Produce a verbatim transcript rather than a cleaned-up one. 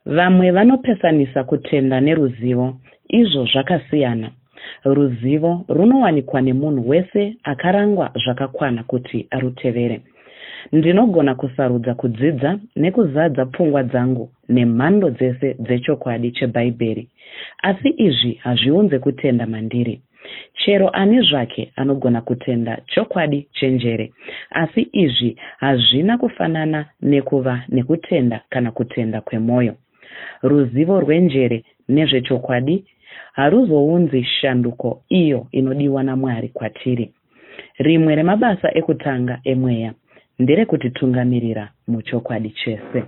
Vamwe vanopesanisa kutenda neruzivo, izvo zvakasiyana. Ruzivo runowanikwa nemunhu wese akarangwa zvakakwana kuti arutevere. Ndinogona kusarudza kudzidza nekuzadza pfungwa dzangu nemhando dzese dzechokwadi cheBhaibheri, asi izvi hazviunze kutenda mandiri. Chero ani zvake anogona kutenda chokwadi chenjere, asi izvi hazvina kufanana nekuva nekutenda kana kutenda kwemwoyo. Ruzivo rwenjere nezvechokwadi haruzounzi shanduko iyo inodiwa naMwari kwatiri. Rimwe remabasa ekutanga emweya nderekutitungamirira muchokwadi chese.